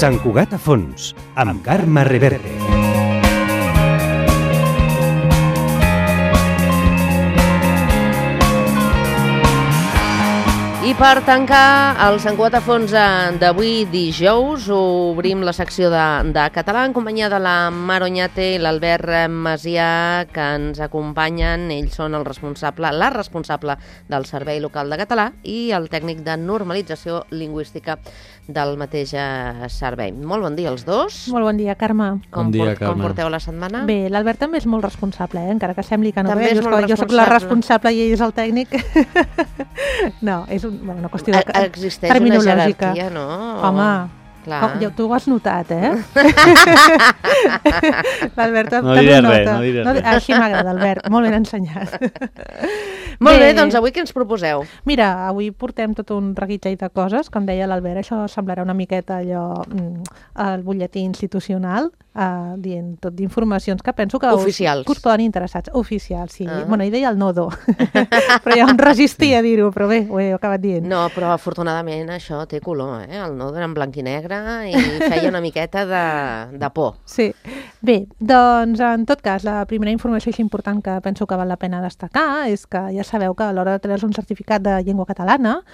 Sant Cugat a fons, amb Carme Reverte. I per tancar el Sant Cugat a fons d'avui dijous, obrim la secció de català en companyia de la Mar Oñate i l'Albert Macià, que ens acompanyen. Ells són la responsable del Servei Local de Català i el tècnic de normalització lingüística del mateix servei. Molt bon dia als dos. Molt bon dia, Carme. Com porteu la setmana? Bé, l'Albert també és molt responsable, encara que sembli que no. També Jo soc la responsable i ell és el tècnic. No, és una qüestió de existeix una jerarquia, no? Home, clar. Tu ho has notat, L'Albert no diré res, no diré res. Així m'agrada, Albert, molt ben ensenyat. Molt bé, doncs avui què ens proposeu? Mira, avui portem tot un reguitzell de coses, com deia l'Albert, això semblarà una miqueta allò, el butlletí institucional, dient tot d'informacions que penso que us poden interessar. Oficials, sí. Bueno, ell deia el nodo, però ja em resistia a dir-ho, però bé, ho he acabat dient. No, però afortunadament això té color, El nodo era en blanc i negre i feia una miqueta de por. Sí. Bé, doncs en tot cas, la primera informació així important que penso que val la pena destacar és que ja sabeu que a l'hora de treure un certificat de llengua catalana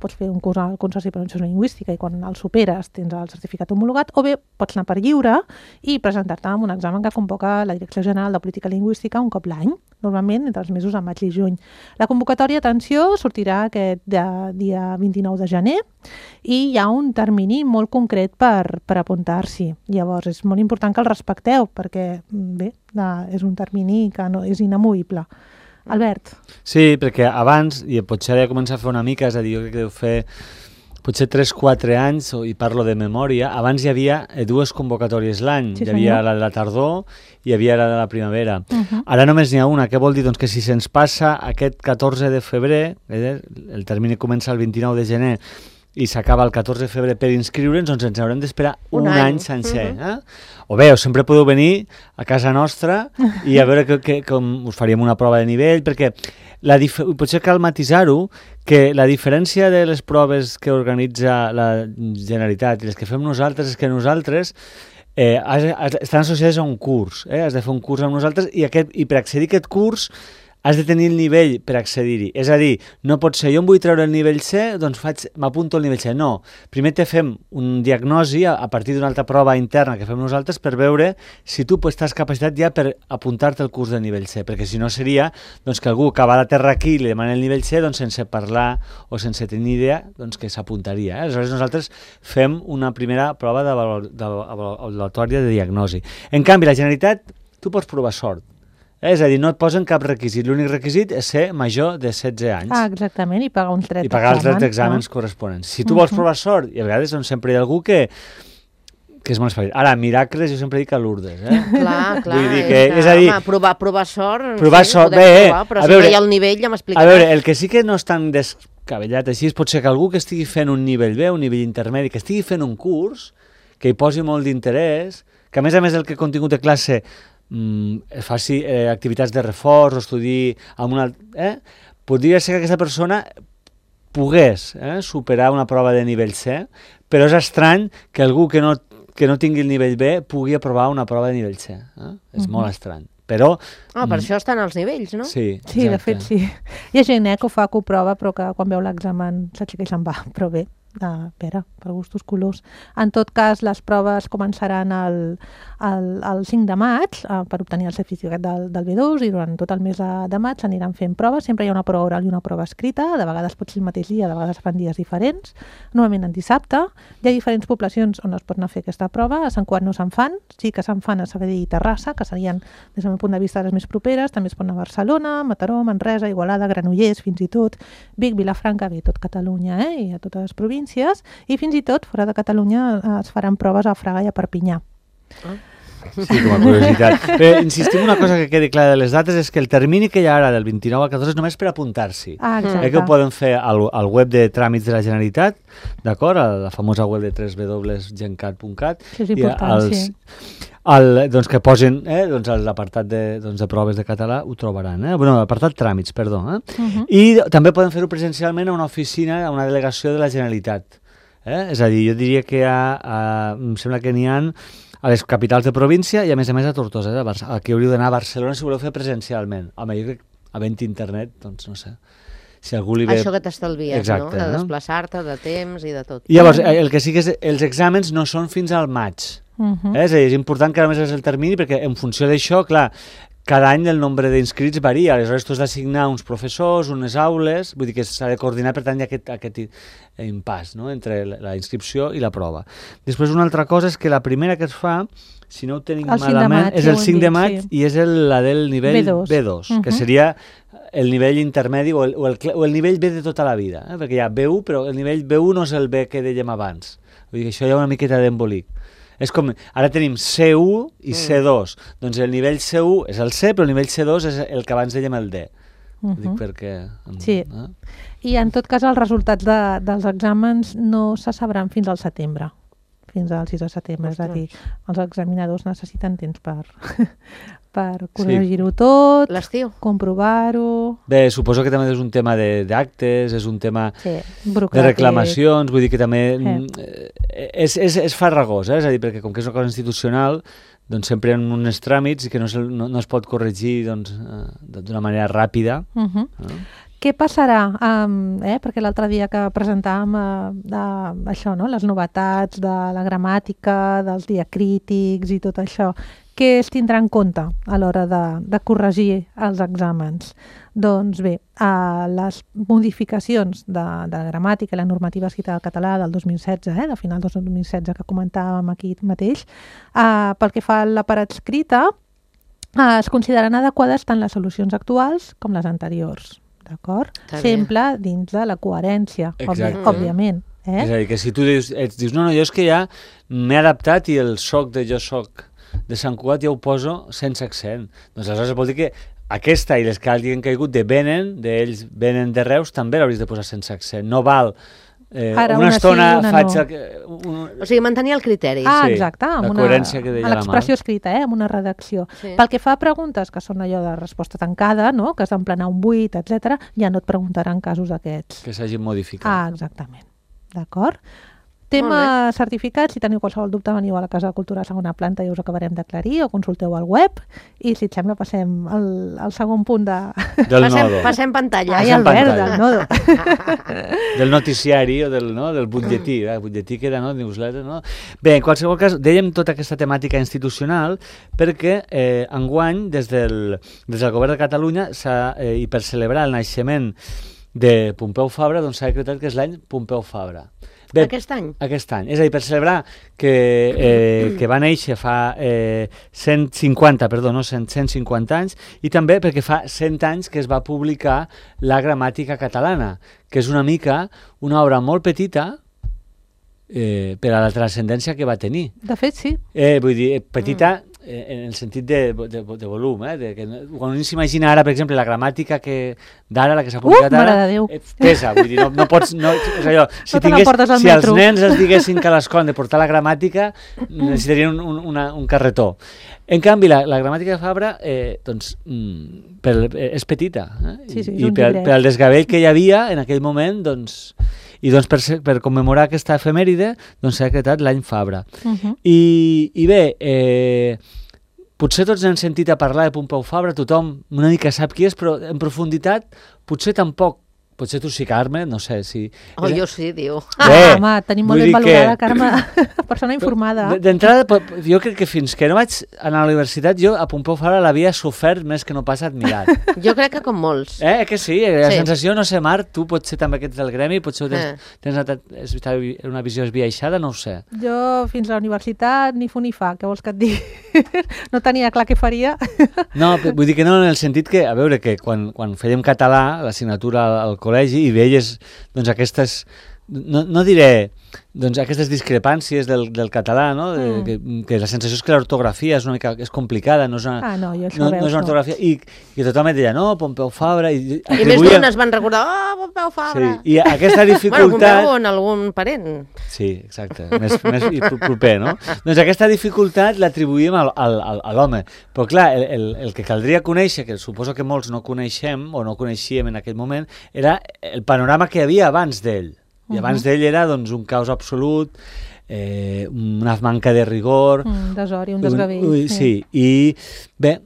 pots fer un curs al Consorci de Pronunciació Lingüística i quan el superes tens el certificat homologat, o bé pots anar per lliure i presentar-te en un examen que convoca la Direcció General de Política Lingüística un cop l'any, normalment entre els mesos de maig i juny. La convocatòria, atenció, sortirà aquest dia 29 de gener i hi ha un termini molt concret per apuntar-s'hi. Llavors, és molt important que el respecteu perquè, bé, és un termini que no és inamovible. Albert? Sí, perquè abans, i potser he de començar a fer una mica, és a dir, jo crec que deu fer potser 3-4 anys, i parlo de memòria, abans hi havia dues convocatòries l'any. Sí, hi havia la de la tardor i hi havia la de la primavera. Ara només n'hi ha una. Què vol dir? Doncs que si se'ns passa aquest 14 de febrer, el termini comença el 29 de gener i s'acaba el 14 de febrer per inscriure'ns, doncs ens haurem d'esperar un any sencer. O bé, sempre podeu venir a casa nostra i a veure com us faríem una prova de nivell, perquè potser cal matisar-ho, que la diferència de les proves que organitza la Generalitat i les que fem nosaltres és que nosaltres estan associades a un curs. Has de fer un curs amb nosaltres i per accedir a aquest curs has de tenir el nivell per accedir-hi. És a dir, no pot ser, jo em vull treure el nivell C, doncs m'apunto al nivell C. No, primer te fem un diagnosi a partir d'una altra prova interna que fem nosaltres per veure si tu estàs capacitat ja per apuntar-te al curs de nivell C, perquè si no seria doncs, que algú que va a la terra aquí i li demana el nivell C, doncs sense parlar o sense tenir idea, doncs que s'apuntaria. Aleshores nosaltres fem una primera prova evaluatòria de diagnosi. En canvi, la Generalitat, tu pots provar sort. És a dir, no et posen cap requisit. L'únic requisit és ser major de 16 anys. Exactament, i pagar uns 3 exàmens. I pagar els 3 exàmens corresponents. Si tu vols provar sort, i a vegades doncs, sempre hi ha algú que és molt especial. Ara, miracles, jo sempre dic a Lourdes. Clar. Vull dir que, és a dir, provar sort, provar sort, bé, però si no hi ha el nivell ja m'explicaràs. A veure, el que sí que no és tan descabellat així pot ser que algú que estigui fent un nivell B, un nivell intermedi, que estigui fent un curs, que hi posi molt d'interès, que a més el que contingut de classe faci activitats de reforç o estudi amb una... podria ser que aquesta persona pogués superar una prova de nivell C, però és estrany que algú que no tingui el nivell B pugui aprovar una prova de nivell C. És molt estrany. Però... per això estan els nivells, no? Sí, de fet sí. Hi ha gent que ho fa, que ho prova, però que quan veu l'examen s'aixeca i se'n va, però bé. Per gustos colors. En tot cas, les proves començaran el 5 de maig per obtenir el certificat del B2 i durant tot el mes de maig s'aniran fent proves. Sempre hi ha una prova oral i una prova escrita. De vegades pot ser el mateix dia, de vegades fan dies diferents. Normalment en dissabte. Hi ha diferents poblacions on es pot anar a fer aquesta prova. A Sant Cugat no se'n fan. Sí que se'n fan a Sabadell i Terrassa, que serien, des del meu punt de vista, les més properes. També es pot anar a Barcelona, Mataró, Manresa, Igualada, Granollers, fins i tot Vic, Vilafranca, tot Catalunya i a totes les províncies. I fins i tot, fora de Catalunya, es faran proves a Fraga i a Perpinyà. Sí, com a curiositat. Però insistim una cosa que quedi clara de les dates, és que el termini que hi ha ara del 29 al 14 és només per apuntar-s'hi. Exacte. Que ho poden fer al web de tràmits de la Generalitat, d'acord? A la famosa web de www.gencat.cat. Sí, és important, sí. Doncs que posin l'apartat de proves de català, ho trobaran. Bueno, l'apartat tràmits, perdó. I també poden fer-ho presencialment a una oficina, a una delegació de la Generalitat. És a dir, jo diria que em sembla que n'hi ha a les capitals de província i a més a Tortosa. Aquí hauríeu d'anar a Barcelona si voleu fer presencialment. Home, jo crec que havent internet, doncs no sé. Si algú li ve... Això que t'estalvies, exacte, no? De desplaçar-te, de temps i de tot. I llavors, el que sí que és, els exàmens no són fins al maig. És a dir, és important que a més és el termini perquè en funció d'això, clar, cada any el nombre d'inscrits varia, aleshores tu has d'assignar uns professors, unes aules, vull dir que s'ha de coordinar, per tant hi ha aquest impàs, no?, entre la inscripció i la prova. Després una altra cosa és que la primera que es fa, si no ho tenim malament, és el 5 de maig i és la del nivell B2, que seria el nivell intermedi o el nivell B de tota la vida, perquè hi ha B1, però el nivell B1 no és el B que dèiem abans. Vull dir que això hi ha una miqueta d'embolic. És com, ara tenim C1 i C2, doncs el nivell C1 és el C, però el nivell C2 és el que abans dèiem el D. Dic perquè... Sí, i en tot cas els resultats dels exàmens no se sabran fins al setembre, fins al 6 de setembre, és a dir, els examinadors necessiten temps per corregir-ho tot, comprovar-ho... Bé, suposo que també és un tema d'actes, és un tema de reclamacions, vull dir que també és farragós, és a dir, perquè com que és una cosa institucional, doncs sempre hi ha uns tràmits que no es pot corregir d'una manera ràpida. Què passarà? Perquè l'altre dia que presentàvem això, no? Les novetats de la gramàtica, dels diacrítics i tot això, què es tindrà en compte a l'hora de corregir els exàmens? Doncs bé, les modificacions de la gramàtica i la normativa escrita del català del 2016, de final del 2016 que comentàvem aquí mateix, pel que fa a la part escrita, es consideraran adequades tant les solucions actuals com les anteriors. D'acord? Sempre dins de la coherència, òbviament. És a dir, que si tu dius no, jo és que ja m'he adaptat i el soc de jo soc de Sant Cugat ja ho poso sense accent. Doncs aleshores vol dir que aquesta i les que hagin caigut d'ells venen de Reus també l'hauries de posar sense accent. No val una estona faig... O sigui, mantenir el criteri. Exacte, amb l'expressió escrita, amb una redacció. Pel que fa a preguntes que són allò de resposta tancada, que has d'emplenar un buit, etc., ja no et preguntaran casos d'aquests. Que s'hagin modificat. Exactament. D'acord? Tema certificats, si teniu qualsevol dubte veniu a la Casa de Cultura a segona planta i us acabarem d'aclarir o consulteu al web i si et sembla passem al segon punt del nodo. Passem pantalla. Ai, Albert, del nodo. Del noticiari o del butlletí. El butlletí queda, newsletter, no? Bé, en qualsevol cas, dèiem tota aquesta temàtica institucional perquè enguany des del Govern de Catalunya i per celebrar el naixement de Pompeu Fabra s'ha decretat que és l'any Pompeu Fabra. Bé, aquest any? Aquest any. És a dir, per celebrar que va néixer fa 150 anys i també perquè fa 100 anys que es va publicar la Gramàtica Catalana, que és una mica una obra molt petita per a la transcendència que va tenir. De fet, sí. Vull dir, petita en el sentit de volum, quan un s'imagina ara, per exemple, la gramàtica d'ara, la que s'ha publicat ara, pesa, vull dir, no pots, és allò, si els nens es diguessin que a l'escola han de portar la gramàtica, necessitarien un carretó. En canvi, la gramàtica de Fabra, doncs, és petita, i pel desgavell que hi havia en aquell moment, doncs, i doncs per commemorar aquesta efemèride s'ha decretat l'any Fabra. I bé, potser tots hem sentit a parlar de Pompeu Fabra, tothom una mica sap qui és, però en profunditat potser tampoc. Potser tu sí, Carme, no sé si... Jo sí, diu. Home, tenim molt ben valorada, Carme, persona informada. D'entrada, jo crec que fins que no vaig anar a la universitat, jo a Pompeu Fabra l'havia sofert més que no pas admirat. Jo crec que com molts. Que sí, la sensació, no sé, Marc, tu potser també que ets del gremi, potser tens una visió esbiaixada, no ho sé. Jo fins a la universitat ni fu ni fa, què vols que et digui? No tenia clar què faria. No, vull dir que no, en el sentit que, a veure, que quan fèiem català, l'assignatura al col·legi, i veies doncs, aquestes, no diré doncs, aquestes discrepàncies del català, no? Que la sensació és que l'ortografia és complicada, no és una ortografia, i tothom et deia, no, Pompeu Fabra... I més d'un es van recordar, Pompeu Fabra! Sí, i aquesta dificultat... Pompeu en algun parent. Sí, exacte, més proper, no? Doncs aquesta dificultat l'atribuïm a l'home, però clar, el que caldria conèixer, que suposo que molts no coneixem o no coneixíem en aquell moment, era el panorama que hi havia abans d'ell. I abans d'ell era doncs, un caos absolut, una manca de rigor... Desori, un desgavell. Sí, i bé,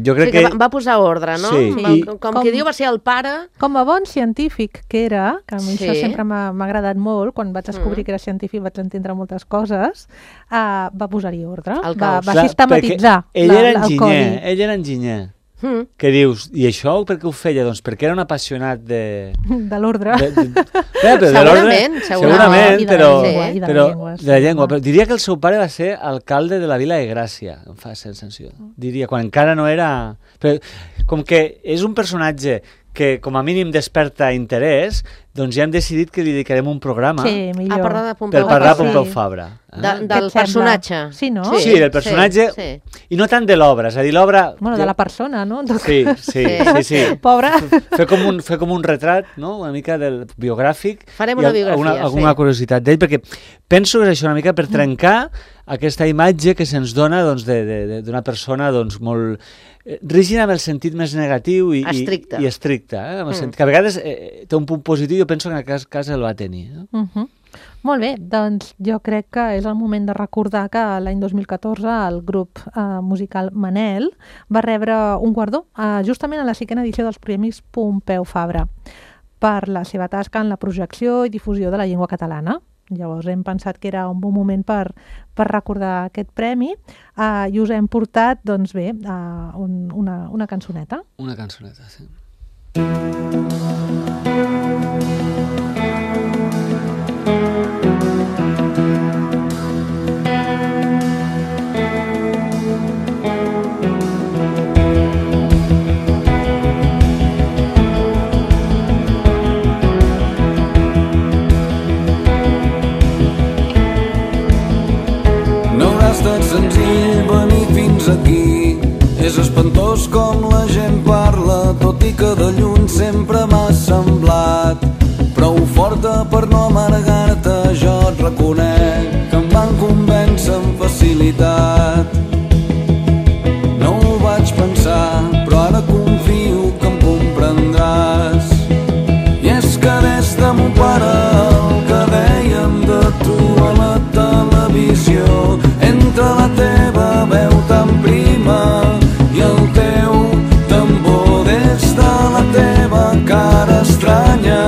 jo crec que... Va posar ordre, no? Sí. Com qui diu, va ser el pare... Com a bon científic que era, que a mi Sí. això sempre m'ha agradat molt, quan vaig descobrir que era científic vaig entendre moltes coses, va posar-hi ordre, El va caos. sistematitzar ell era el enginyer, codi. ell era enginyer. Que dius, i això per què ho feia? Doncs perquè era un apassionat de... De l'ordre. Segurament, I de la però, llengua, i de la però, llengua, sí. de la llengua. Però diria que el seu pare va ser alcalde de la Vila de Gràcia, em fa sensació. Diria, quan encara no era... Però, com que és un personatge que com a mínim desperta interès, doncs ja hem decidit que li dedicarem un programa Sí, millor. A parlar de Pompeu per parlar de Fabra. Pompeu Fabra. Del Què et personatge. sembla? Sí, no? Sí, del personatge, Sí. i no tant de l'obra, és a dir, l'obra... Bueno, de la persona, no? Sí. Pobra. Fer com un retrat, no?, una mica del biogràfic. Farem i una biografia, alguna sí. curiositat d'ell, perquè penso que és això una mica per trencar aquesta imatge que se'ns dona doncs, d'una persona doncs, molt rígida en el sentit més negatiu i estricta. En el sentit, que a vegades té un punt positiu, jo penso que en aquest cas el va tenir. Molt bé, doncs jo crec que és el moment de recordar que l'any 2014 el grup musical Manel va rebre un guardó justament a la 5ª edició dels Premis Pompeu Fabra per la seva tasca en la projecció i difusió de la llengua catalana. Llavors hem pensat que era un bon moment per recordar aquest premi i us hem portat, doncs bé, una cançoneta. Una cançoneta, sí. Senzill venir fins aquí, és espantós com la gent parla, tot i que de lluny sempre m'ha semblat prou forta per no amargar-te. Jo et reconec que em van convèncer amb facilitat, no ho vaig pensar, però ara confio que em comprendràs. I és que des de mon pare el que dèiem de tu a la televisió, entre la teva veu tan prima i el teu tambor, des de la teva cara estranya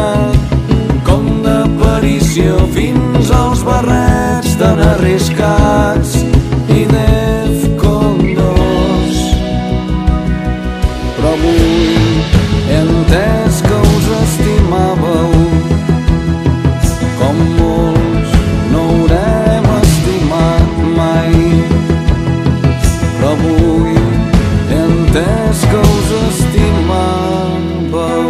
com d'aparició fins als barrets tan arriscats i Defcon 2. Però avui he entès que us estimàveu com molts no haurem estimat mai, però avui he entès que us estimàveu.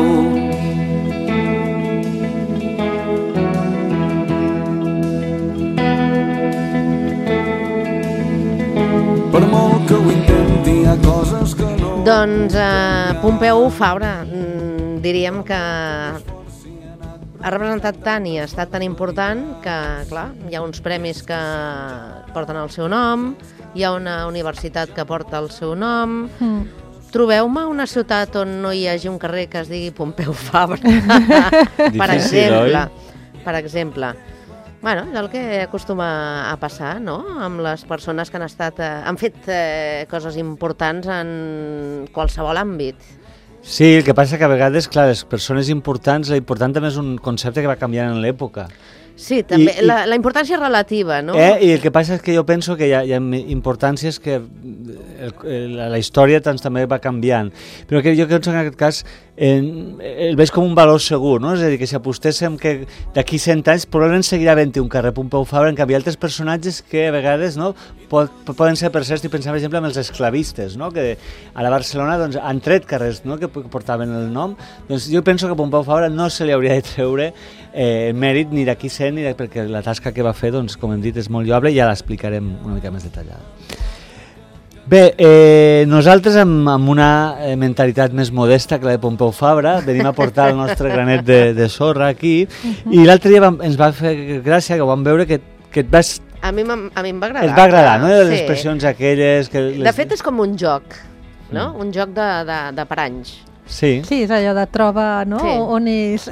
Per molt que ho intenti hi ha coses que no... Doncs Pompeu Fabra, diríem que ha representat tant i ha estat tan important que, clar, hi ha uns premis que porten el seu nom, hi ha una universitat que porta el seu nom. Trobeu-me una ciutat on no hi hagi un carrer que es digui Pompeu Fabra, per exemple. Bueno, és el que acostuma a passar, no?, amb les persones que han fet coses importants en qualsevol àmbit. Sí, el que passa que a vegades, clar, les persones importants, l'important també és un concepte que va canviant en l'època. Sí, també, la importància és relativa, no? I el que passa és que jo penso que hi ha importàncies que la història també va canviant, però que jo penso que en aquest cas el veig com un valor segur, no? És a dir, que si apostéssim que d'aquí 100 anys probablement seguirà havent-hi un carrer Pompeu Fabra, en canvi altres personatges que a vegades, no, poden ser, per cert, estic pensant per exemple en els esclavistes, no?, que a la Barcelona doncs, han tret carrers, no?, que portaven el nom. Doncs jo penso que a Pompeu Fabra no se li hauria de treure mèrit ni d'aquí 100 perquè la tasca que va fer, doncs, com hem dit, és molt lloable i ja l'explicarem una mica més detallada. Bé, nosaltres amb una mentalitat més modesta que la de Pompeu Fabra venim a portar el nostre granet de sorra aquí i l'altre dia ens va fer gràcia que ho vam veure que et vas... A mi em va agradar. Et va agradar, no?, les expressions aquelles... De fet és com un joc, no? Un joc de paranys. Sí. Sí, és allò de troba, no? Sí. On és...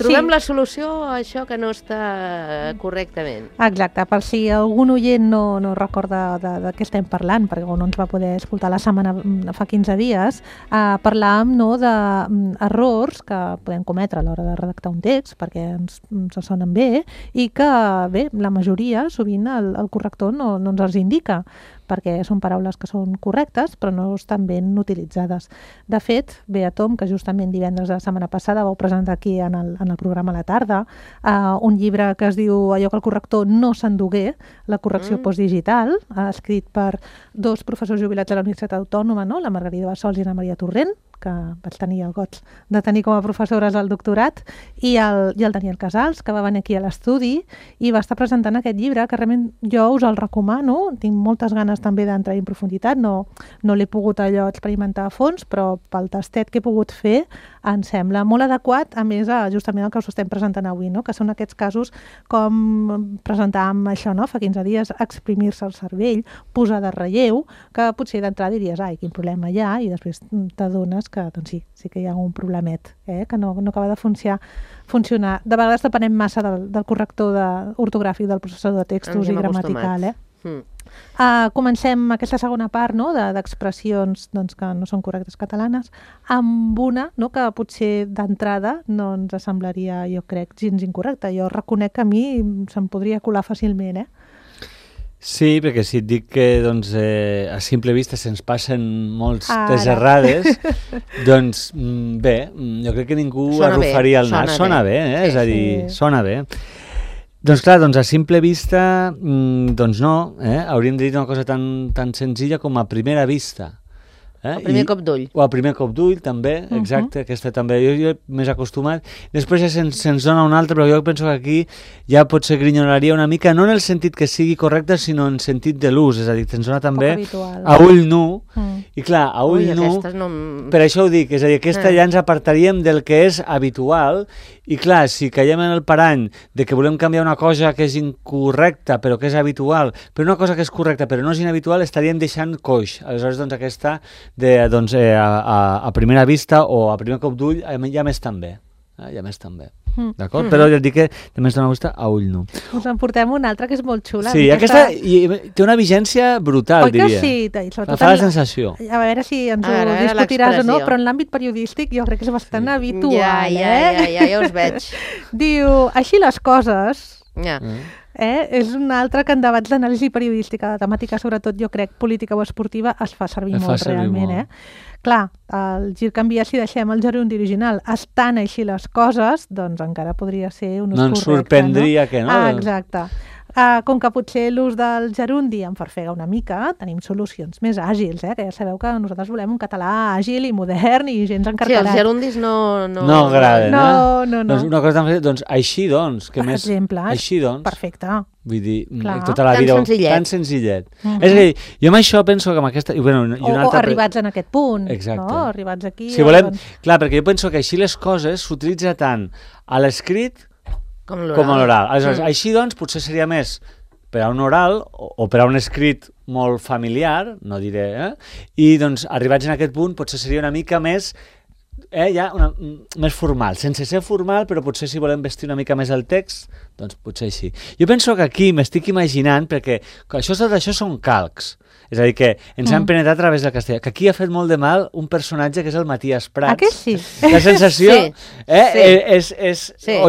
Trobem Sí. la solució a això que no està correctament. Exacte, per si algun oient no recorda de què estem parlant, perquè no ens va poder escoltar la setmana fa 15 dies, parlàvem d'errors que podem cometre a l'hora de redactar un text, perquè ens sonen bé, i que, bé, la majoria, sovint el corrector no ens els indica, perquè són paraules que són correctes però no estan ben utilitzades. De fet, Bea Tom, que justament divendres de la setmana passada vau presentar aquí en el programa a la tarda, un llibre que es diu Allò que el corrector no s'endugué, la correcció postdigital, escrit per dos professors jubilats de la Universitat Autònoma, no? La Margarida Bassols i la Maria Torrent, que vaig tenir el goig de tenir com a professores al doctorat, i el Daniel Casals, que va venir aquí a l'estudi i va estar presentant aquest llibre, que realment jo us el recomano. Tinc moltes ganes també d'entrar en profunditat, no l'he pogut allò experimentar a fons, però pel tastet que he pogut fer em sembla molt adequat, a més, justament el que us estem presentant avui, no? Que són aquests casos com presentàvem això, no? Fa 15 dies, exprimir-se el cervell, posar de relleu, que potser d'entrada diries, ai, quin problema hi ha, i després t'adones que doncs sí que hi ha un problemet, que no acaba de funcionar. De vegades depenem massa del corrector ortogràfic del processador de textos i gramatical. Comencem aquesta segona part, no?, d'expressions que no són correctes catalanes, amb una, no?, que potser d'entrada no ens semblaria, jo crec, gens incorrecta. Jo reconec que a mi se'm podria colar fàcilment, Sí, perquè si et dic que doncs, a simple vista se'ns passen moltes errades, doncs bé, jo crec que ningú arrufaria el nas. Sona bé, és a dir, sona bé. Doncs clar, a simple vista, doncs no, hauríem de dir una cosa tan senzilla com a primera vista. El primer cop d'ull. O el primer cop d'ull, també, exacte, aquesta també. Jo més acostumat. Després ja se'ns dona una altra, però jo penso que aquí ja potser grinyonaria una mica, no en el sentit que sigui correcte, sinó en sentit de l'ús, és a dir, se'ns dona també a ull nu, i clar, a ull nu, per això ho dic, és a dir, aquesta ja ens apartaríem del que és habitual, i clar, si caiem en el parany de que volem canviar una cosa que és incorrecta però que és habitual, però una cosa que és correcta però no és inhabitual, estaríem deixant coix. Aleshores, doncs aquesta a primera vista o a primer cop d'ull ja més també. D'acord? Però ja et dic que també ens dona vista a ull nu. Us en portem una altra que és molt xula. Sí, aquesta té una vigència brutal, diria. Oi que sí? Fa la sensació. A veure si ens ho discutiràs o no, però en l'àmbit periodístic jo crec que és bastant habitual. Ja us veig. Diu, així les coses... És un altre que en debats d'anàlisi periodística, de temàtica sobretot, jo crec, política o esportiva, es fa servir molt realment. Clar, el gir canvia si deixem el gerundi original. Estan així les coses, doncs encara podria ser un ús correcte. No ens sorprendria que no. Exacte. Com que potser l'ús del gerundi em farfega una mica, tenim solucions més àgils, que ja sabeu que nosaltres volem un català àgil i modern i gens encarcarat. Sí, els gerundis no agraden, no. Doncs una cosa doncs així doncs, que més... exemple, així doncs. Perfecte. Vull dir, tota la vida... Tan senzillet. És a dir, jo amb això penso que amb aquesta... O arribats en aquest punt. Exacte. No? Arribats aquí... Si volem... Clar, perquè jo penso que així les coses s'utilitza tant a l'escrit com a l'oral. Aleshores, així doncs potser seria més per a un oral o per a un escrit molt familiar, no diré, i doncs arribats en aquest punt potser seria una mica més més formal, sense ser formal, però potser si volem vestir una mica més el text, doncs potser així. Jo penso que aquí m'estic imaginant, perquè tot això són calcs, és a dir, que ens han penetrat a través del castellà, que aquí ha fet molt de mal un personatge que és el Matías Prats. Que sí? La sensació és... Sí.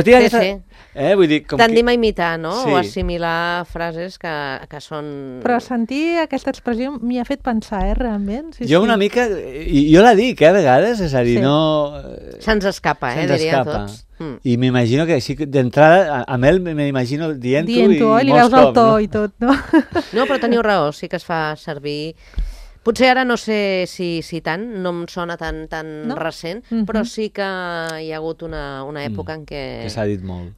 Vull dir, tendim a imitar, no? O assimilar frases que són... Però sentir aquesta expressió m'hi ha fet pensar, realment. Jo una mica... Jo la dic, a vegades, és a dir, no... Se'ns escapa, diria tots. I m'imagino que així d'entrada, amb ell m'imagino dient-ho i li veus el to i tot, no? No, però teniu raó, sí que es fa servir... Potser ara no sé si tant, no em sona tan recent, però sí que hi ha hagut una època en què... Que s'ha dit molt.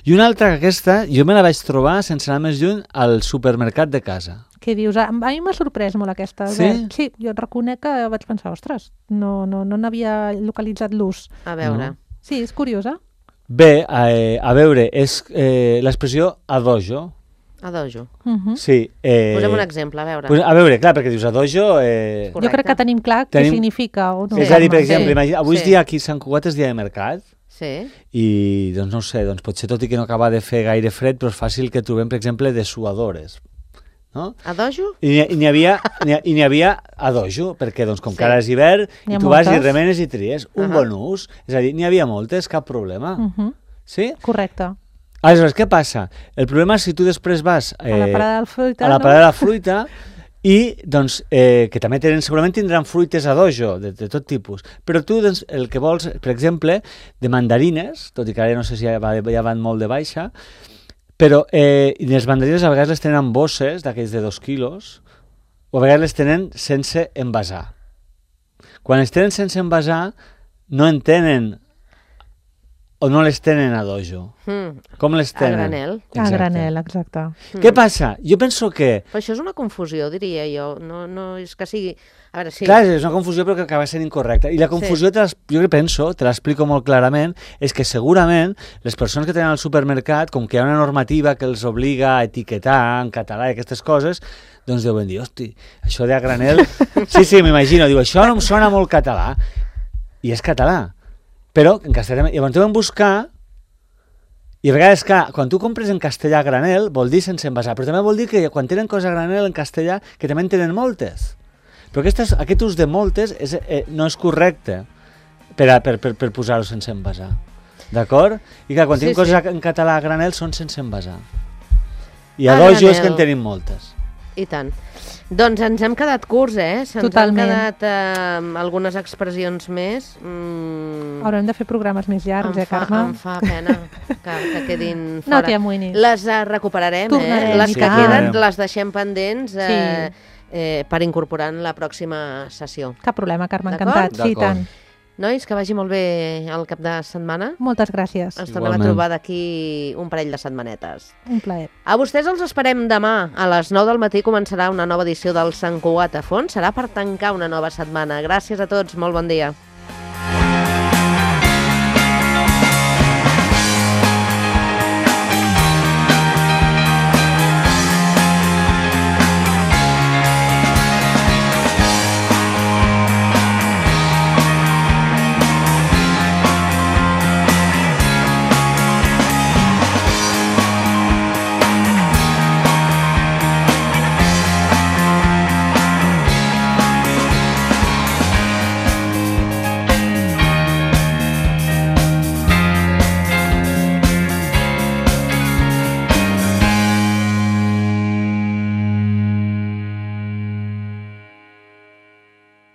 I una altra, aquesta, jo me la vaig trobar, sense anar més lluny, al supermercat de casa. Què dius? A mi m'ha sorprès molt aquesta. Sí? Sí, jo reconec que vaig pensar, ostres, no n'havia localitzat l'ús. A veure. Sí, és curiosa. Bé, a veure, és l'expressió adojo. A dojo. Sí. Posem un exemple, a veure. Pues, a veure, clar, perquè dius a dojo... Jo crec que tenim clar què significa. O no. És a dir, per exemple, Sí. avui és dia aquí a Sant Cugat és dia de mercat, Sí. i doncs no ho sé, doncs potser tot i que no acaba de fer gaire fred, però és fàcil que trobem, per exemple, dessuadores. No? A dojo? I n'hi havia a dojo, perquè doncs, com Sí. que ara és hivern, N'hi ha i tu vas i moltes. remenes i tries. Un bon ús. És a dir, n'hi havia moltes, cap problema. Sí? Correcte. Aleshores, què passa? El problema és si tu després vas A la parada de la fruita, a la no? parada de la fruita i doncs, que també segurament tindran fruites a dojo, de tot tipus, però tu doncs, el que vols, per exemple, de mandarines, tot i que ara no sé si ja van molt de baixa, però les mandarines a vegades les tenen en bosses d'aquells de 2 quilos, o a vegades les tenen sense envasar. Quan les tenen sense envasar, no en tenen o no les tenen a dojo. Com les A tenen? granel. A Exacte. granel, exacte. Què passa? Jo penso que... Però això és una confusió, diria jo. No és que sigui... A veure, sí. Clar, és una confusió però que acaba sent incorrecta. I la confusió, jo que penso, te l'explico molt clarament, és que segurament les persones que tenen al supermercat, com que hi ha una normativa que els obliga a etiquetar en català i aquestes coses, doncs deuen dir, hosti, això de a granel... Sí, m'imagino, diu, això no em sona molt català. I és català. Però en castellà... Llavors deuen buscar... I a vegades, clar, quan tu compres en castellà a granel, vol dir sense envasar, però també vol dir que quan tenen coses a granel en castellà, que també en tenen moltes. Però aquest ús de moltes no és correcte per posar-ho sense envasar. D'acord? I clar, quan tenim coses en català a granel són sense envasar. I a dojo és que en tenim moltes. I tant. Doncs ens hem quedat curts, Se'ns Totalment. han quedat algunes expressions més. Haurem de fer programes més llargs, Carme? Em fa pena que quedin fora. No t'hi amoïnis. Les recuperarem, Tornarem, Les i que tant. queden les deixem pendents Sí. per incorporar en la pròxima sessió. Cap problema, Carme, D'acord? encantat. Sí, i D'acord. tant. Nois, que vagi molt bé el cap de setmana. Moltes gràcies. Ens tornem a Igualment. trobar d'aquí un parell de setmanetes. Un plaer. A vostès els esperem demà. A les 9 del matí començarà una nova edició del Sant Cugat a fons. Serà per tancar una nova setmana. Gràcies a tots, molt bon dia.